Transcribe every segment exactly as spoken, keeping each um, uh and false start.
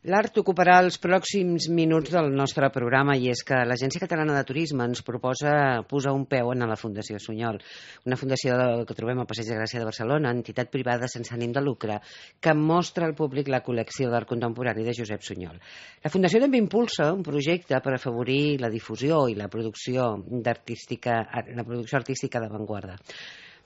L'art ocuparà els pròxims minuts del nostre programa i és que l'Agència Catalana de Turisme ens proposa posar un peu en la Fundació Sunyol, una fundació que trobem al Passeig de Gràcia de Barcelona, entitat privada sense ànim de lucre, que mostra al públic la col·lecció d'art contemporani de Josep Sunyol. La Fundació també impulsa un projecte per afavorir la difusió i la producció d'artística, la producció artística d'avantguarda.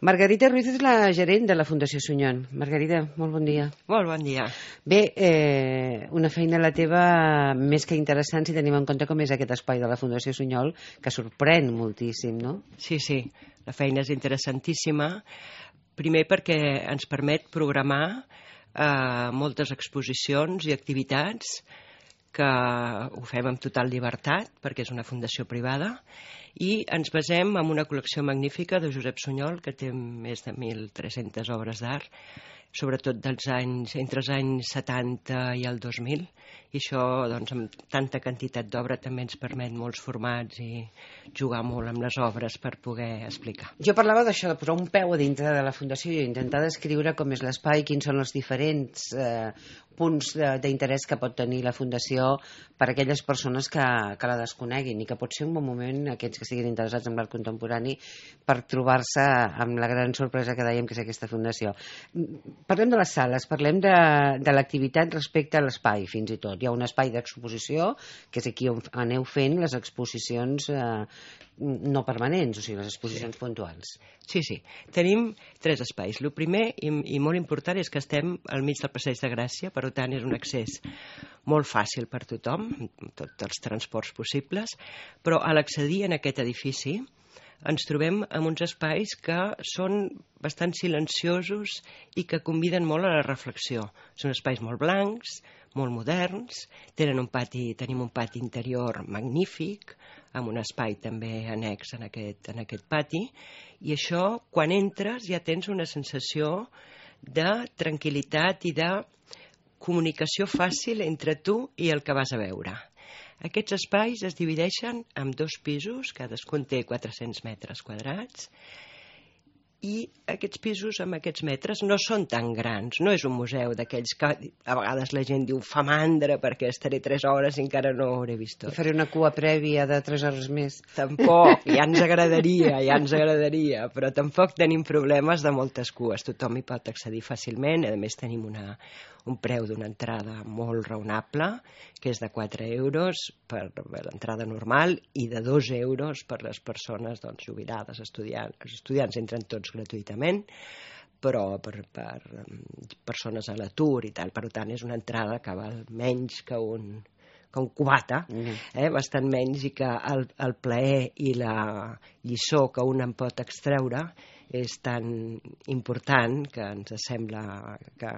Margarita Ruiz és la gerent de la Fundació Sunyol. Margarita, molt bon dia. Molt bon dia. Bé, eh, una feina la teva més que interessant si tenim en compte com és aquest espai de la Fundació Sunyol, que sorprèn moltíssim, no? Sí, sí, la feina és interessantíssima. Primer perquè ens permet programar eh, moltes exposicions i activitats que ho fem amb total llibertat, perquè és una fundació privada, i ens basem en una col·lecció magnífica de Josep Sunyol, que té més de mil tres-centes obres d'art, sobretot dels anys, entre els anys setanta i el dos mil, i això, doncs, amb tanta quantitat d'obra també ens permet molts formats i jugar molt amb les obres per poder explicar. Jo parlava d'això, de posar un peu a dintre de la Fundació i intentar descriure com és l'espai, quins són els diferents eh, punts d'interès que pot tenir la Fundació per a aquelles persones que, que la desconeguin i que pot ser un bon moment, aquells que siguin interessats en l'art contemporani, per trobar-se amb la gran sorpresa que dèiem que és aquesta Fundació. Parlem de les sales, parlem de, de l'activitat respecte a l'espai, fins i tot. Hi ha un espai d'exposició, que és aquí on aneu fent les exposicions eh, no permanents, o sigui, les exposicions puntuals. Sí, sí. Tenim tres espais. El primer, i, i molt important, és que estem al mig del Passeig de Gràcia, per tant és un accés molt fàcil per tothom, tots els transports possibles, però a l'accedir en aquest edifici ens trobem en uns espais que són bastant silenciosos i que conviden molt a la reflexió. Són espais molt blancs, molt moderns, tenen un pati, tenim un pati interior magnífic, amb un espai també annex en aquest, en aquest pati, i això, quan entres, ja tens una sensació de tranquil·litat i de comunicació fàcil entre tu i el que vas a veure. Aquests espais es divideixen en dos pisos, cadascun té quatre-cents metres quadrats, i aquests pisos amb aquests metres no són tan grans, no és un museu d'aquells que a vegades la gent diu fa mandra perquè estaré tres hores i encara no hauré vist tot. I faré una cua prèvia de tres hores més. Tampoc, ja ens agradaria, ja ens agradaria, però tampoc tenim problemes de moltes cues, tothom hi pot accedir fàcilment, a més tenim una, un preu d'una entrada molt raonable, que és de quatre euros per l'entrada normal i de dos euros per les persones doncs, jubilades, estudiants, els estudiants entren tots gratuïtament, però per, per persones a l'atur i tal, per tant és una entrada que val menys que un, que un cubata, eh, bastant menys, i que el, el plaer i la lliçó que un en pot extreure és tan important que ens sembla que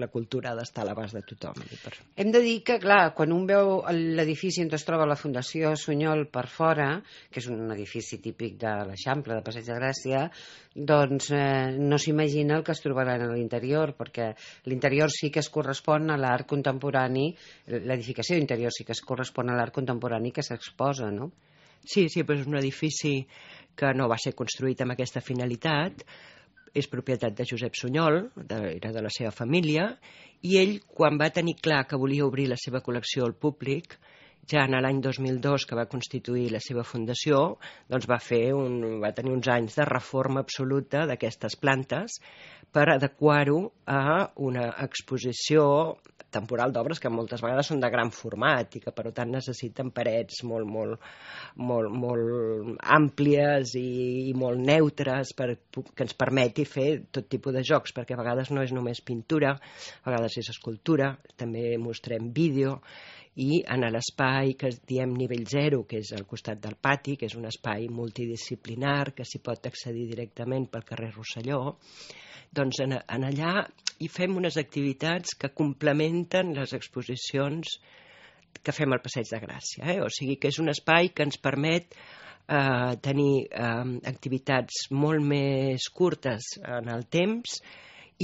la cultura ha d'estar a l'abast de tothom. Hem de dir que, clar, quan un veu l'edifici on es troba la Fundació Sunyol per fora, que és un edifici típic de l'Eixample, de Passeig de Gràcia, doncs eh, no s'imagina el que es trobaran a l'interior, perquè l'interior sí que es correspon a l'art contemporani, l'edificació interior sí que es correspon a l'art contemporani que s'exposa, no? Sí, sí, però és un edifici que no va ser construït amb aquesta finalitat, és propietat de Josep Sunyol, de, era de la seva família, i ell, quan va tenir clar que volia obrir la seva col·lecció al públic, ja en l'any dos mil dos, que va constituir la seva fundació, doncs va, fer un, va tenir uns anys de reforma absoluta d'aquestes plantes per adequar-ho a una exposició temporal d'obres que moltes vegades són de gran format i que per tant necessiten parets molt, molt, molt, molt àmplies i, i molt neutres per, que ens permeti fer tot tipus de jocs, perquè a vegades no és només pintura, a vegades és escultura, també mostrem vídeo, i en l'espai que diem nivell zero, que és al costat del pati, que és un espai multidisciplinar, que s'hi pot accedir directament pel carrer Rosselló, doncs en, en allà hi fem unes activitats que complementen les exposicions que fem al Passeig de Gràcia. Eh? O sigui que és un espai que ens permet eh, tenir eh, activitats molt més curtes en el temps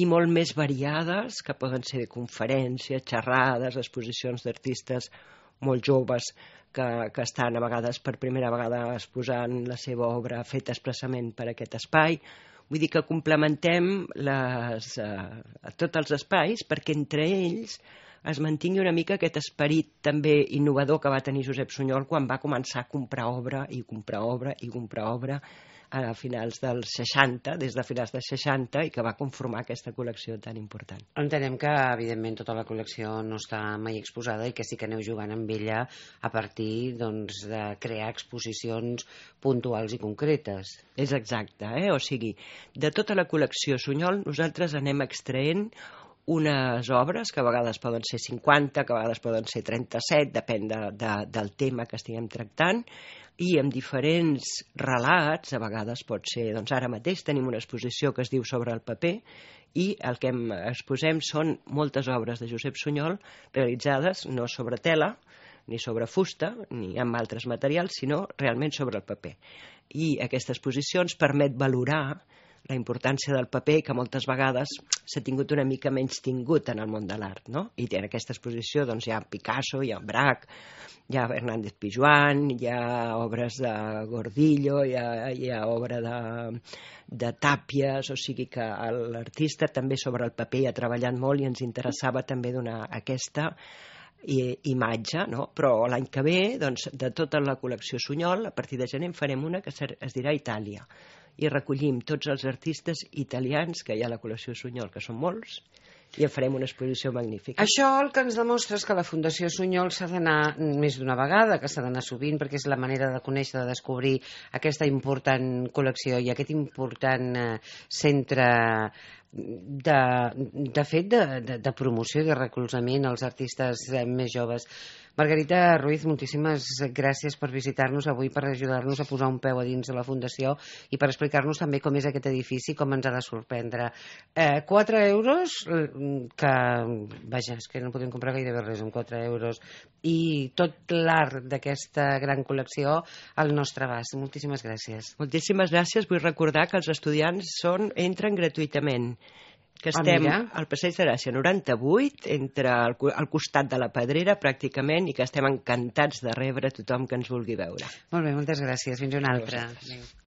i molt més variades, que poden ser conferències, xerrades, exposicions d'artistes molt joves que, que estan a vegades per primera vegada exposant la seva obra feta expressament per aquest espai. Vull dir que complementem les, eh, tots els espais perquè entre ells es mantingui una mica aquest esperit també innovador que va tenir Josep Sunyol quan va començar a comprar obra i comprar obra i comprar obra a finals dels seixanta, des de finals dels seixanta, i que va conformar aquesta col·lecció tan important. Entenem que, evidentment, tota la col·lecció no està mai exposada i que sí que aneu jugant amb ella a partir doncs, de crear exposicions puntuals i concretes. És exacte, eh? O sigui, de tota la col·lecció Sunyol nosaltres anem extraent unes obres que a vegades poden ser cinquanta, que a vegades poden ser trenta-set, depèn de, de, del tema que estiguem tractant, i amb diferents relats, a vegades pot ser, doncs ara mateix tenim una exposició que es diu Sobre el paper, i el que exposem són moltes obres de Josep Sunyol realitzades no sobre tela, ni sobre fusta, ni amb altres materials, sinó realment sobre el paper. I aquesta exposició ens permet valorar la importància del paper, que moltes vegades s'ha tingut una mica menys tingut en el món de l'art, no? I en aquesta exposició doncs, hi ha Picasso, hi ha Braque, hi ha Hernández Pijuán, hi ha obres de Gordillo, hi ha, hi ha obra de, de Tàpies, o sigui que l'artista també sobre el paper ha treballat molt i ens interessava també donar aquesta i, imatge, no? Però l'any que ve, doncs, de tota la col·lecció Sunyol, a partir de gener en farem una que es dirà Itàlia, i recollim tots els artistes italians que hi ha a la col·lecció Sunyol, que són molts, i en farem una exposició magnífica. Això el que ens demostra és que la Fundació Sunyol s'ha d'anar més d'una vegada, que s'ha d'anar sovint, perquè és la manera de conèixer, de descobrir aquesta important col·lecció i aquest important eh, centre de, de fet de, de, de promoció i de recolzament als artistes eh, més joves. Margarita Ruiz, moltíssimes gràcies per visitar-nos avui, per ajudar-nos a posar un peu a dins de la Fundació i per explicar-nos també com és aquest edifici, com ens ha de sorprendre. Eh, quatre euros, que, vaja, és que no podem comprar gairebé res amb quatre euros, i tot l'art d'aquesta gran col·lecció al nostre abast. Moltíssimes gràcies. Moltíssimes gràcies. Vull recordar que els estudiants són, entren gratuïtament, que estem ah, al Passeig de Gràcia noranta-vuit, entre el, al costat de la Pedrera, pràcticament, i que estem encantats de rebre tothom que ens vulgui veure. Molt bé, moltes gràcies. Fins una altra. Adéu.